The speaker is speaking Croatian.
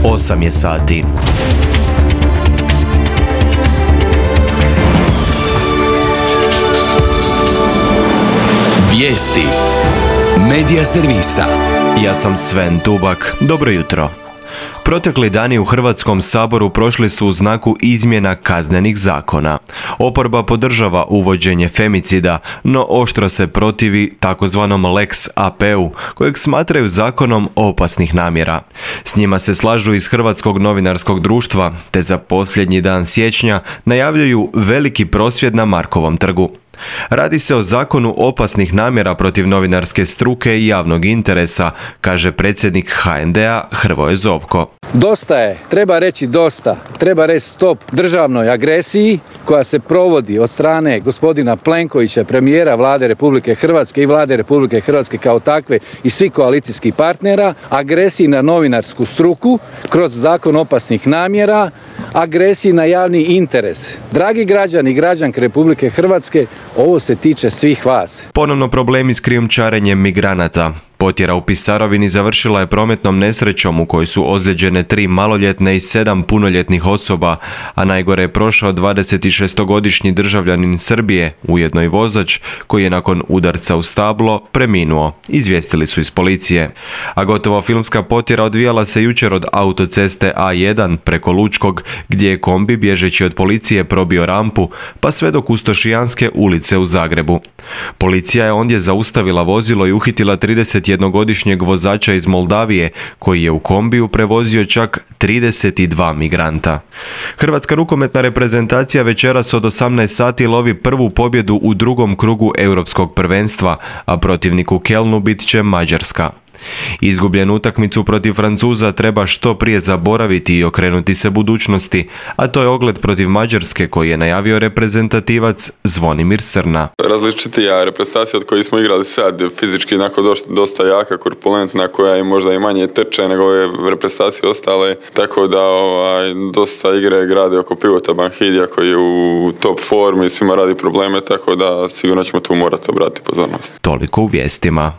8 je sati. Vijesti Medija servisa. Ja sam Sven Dubak. Dobro jutro. Protekli dani u Hrvatskom saboru prošli su u znaku izmjena kaznenih zakona. Oporba podržava uvođenje femicida, no oštro se protivi takozvanom Lex AP-u, kojeg smatraju zakonom opasnih namjera. S njima se slažu iz Hrvatskog novinarskog društva, te za posljednji dan siječnja najavljuju veliki prosvjed na Markovom trgu. Radi se o zakonu opasnih namjera protiv novinarske struke i javnog interesa, kaže predsjednik HND-a Hrvoje Zovko. Dosta je, treba reći dosta, treba reći stop državnoj agresiji koja se provodi od strane gospodina Plenkovića, premijera Vlade Republike Hrvatske i Vlade Republike Hrvatske kao takve i svih koalicijskih partnera, agresiji na novinarsku struku kroz zakon opasnih namjera, agresiji na javni interes. Dragi građani i građanke Republike Hrvatske, ovo se tiče svih vas. Ponovno problemi s krijumčarenjem migranata. Potjera u Pisarovini završila je prometnom nesrećom u kojoj su ozlijeđene 3 maloljetne i 7 punoljetnih osoba, a najgore je prošao 26-godišnji državljanin Srbije, ujedno i vozač, koji je nakon udarca u stablo preminuo, izvijestili su iz policije. A gotovo filmska potjera odvijala se jučer od autoceste A1 preko Lučkog, gdje je kombi bježeći od policije probio rampu, pa sve do Kustošijanske ulice u Zagrebu. Policija je ondje zaustavila vozilo i uhitila 31-godišnjeg vozača iz Moldavije, koji je u kombiju prevozio čak 32 migranta. Hrvatska rukometna reprezentacija večeras od 18 sati lovi prvu pobjedu u drugom krugu europskog prvenstva, a protivnik u Kelnu bit će Mađarska. Izgubljenu utakmicu protiv Francuza treba što prije zaboraviti i okrenuti se budućnosti, a to je ogled protiv Mađarske koji je najavio reprezentativac Zvonimir Srna. Različitija reprezentacija od koje smo igrali sad, fizički dosta jaka, korpulentna, koja je možda i manje trče nego ove reprezentacije ostale, tako da dosta igre grade oko pivota Banhidija koji je u top formi, svima radi probleme, tako da sigurno ćemo tu morati obratiti pozornost. Toliko u vijestima.